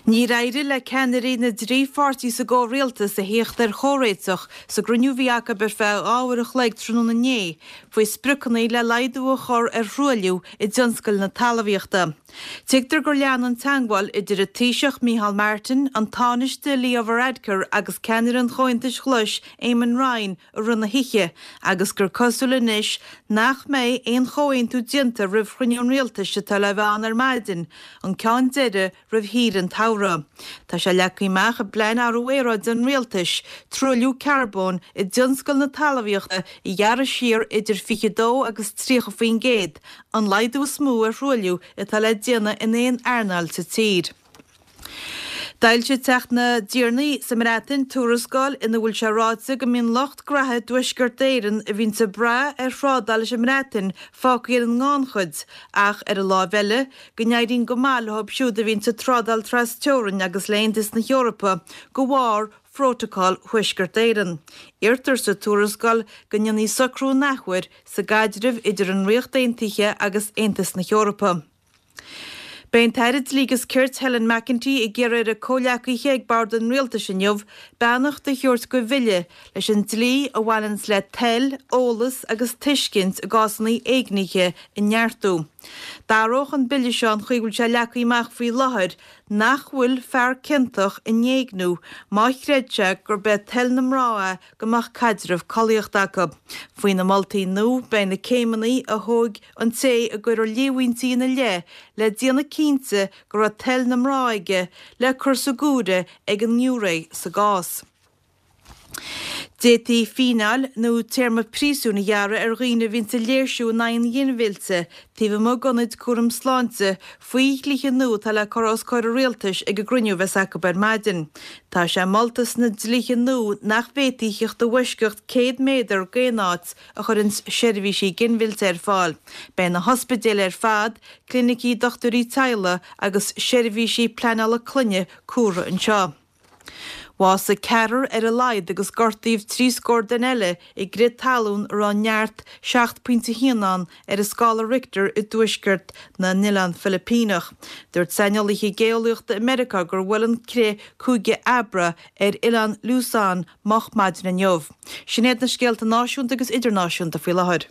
Níor éirigh le ceannairí na dtrí pháirtí sa gcomhrialtas a thíocht ar chomhréiteach sa gcruinniú a bhí acu ar feadh 2 uair a chloig tráthnóna inné faoi spriocanna le laghdú a chur ar thruailliú i dtionscal na talmhaíochta. Tuigtear gur lean an teagmháil idir an Taoiseach Micheál Martin, an Tánaiste Leo Varadkar agus ceannaire an Chomhaontais Ghlais Eamon Ryan i rith na hoíche agus gur cosúil anois nach mbeidh aon chomhaontú déanta roimh chruinniú an rialtais atá le bheith ann ar maidin, an ceann deiridh roimh shaoire an tsamhraidh. Tá sé leagtha amach i bPlean Athrú Aeráide an Rialtais, truailliú carbóin i dtionscal na talmhaíochta a ghearradh siar idir 22 agus 30%, an laghdú is mó ar thruailliú atá le déanamh in aon earnáil sa tír. D'fhoilsigh Teach na dTiarnaí sa mBreatain tuarascáil ina bhfuil sé ráite go mbíonn lucht graithe i dTuaisceart Éireann a bhíonns ag brath ar thrádáil leis an mBreatain fágtha ar an ngannchuid ach ar an láimh eile go n-éiríonn go maith leo siúd a bhíonns ag trádáil tras teorainn agus le hAontas na hEorpa de bharr Phrótacal Thuaisceart Éireann. Iarrtar sa tuarascáil go ndéanfaí socrú an athuair sa gcaidreamh idir an Ríocht Aontaithe agus Aontas na hEorpa. Beidh an tAire Dlí agus Cirt Helen McEntee ag iarraidh ar a comhleacaithe ag bord an Rialtais inniu beannacht a thabhairt do bhille leis an dlí a bhaineanns le toil, eolas agus tuiscint i gcásanna éignithe a neartú. D'athródh an bille seo an chaoi a bhfuil sé leagtha amach faoi láthair nach bhfuil fear ciontach in éigniú má chreid sé gurb é toil na mná é go mbeadh caidreamh collaíochta acu. Faoi na moltaí nua beidh na céimeanna a thóg an té a gcuireadh líomhaintí ina leith le déanamh cinnte go raibh toil na mná aige le cur sa ghiúiré ag an ngiúiré sa gcás. D'fhéadfaí fíneáil nó téarma príosúin a ghearradh ar dhaoine a bhíonns ag léirsiú in aghaidh an ghinmhillte taobh amuigh d'ionaid cúraim sláinte faoi dhlíthe nua atá le cur os comhair an rialtais ag an gcruinniú a bheas acu ar maidin. Tá sé molta sna dlíthe nua nach bhféadfaí theacht i bhfoisceacht 100 méadar d'aon áit a chuireanns seirbhísí ginmhillte ar fáil. Beidh na hospidéil ar fad, clinicí dochtúirí teaghlaigh agus seirbhísí pleanála clainne comhairthe anseo. Bhásaigh ceathrar ar a laghad agus gortaíodh 30 scór duine eile i gcrith talún a raibh neart 7.1 ann ar an scála Richter i dtuaisceart na nOileán Filipíneach. Dúirt saineolaithe geolaíochta i Meiriceá gur bhuail an crith Cúige Abra ar oileán Luzon moch maidin inniu. Sin iad na scéalta náisiúnta agus idirnáisiúnta faoi láthair.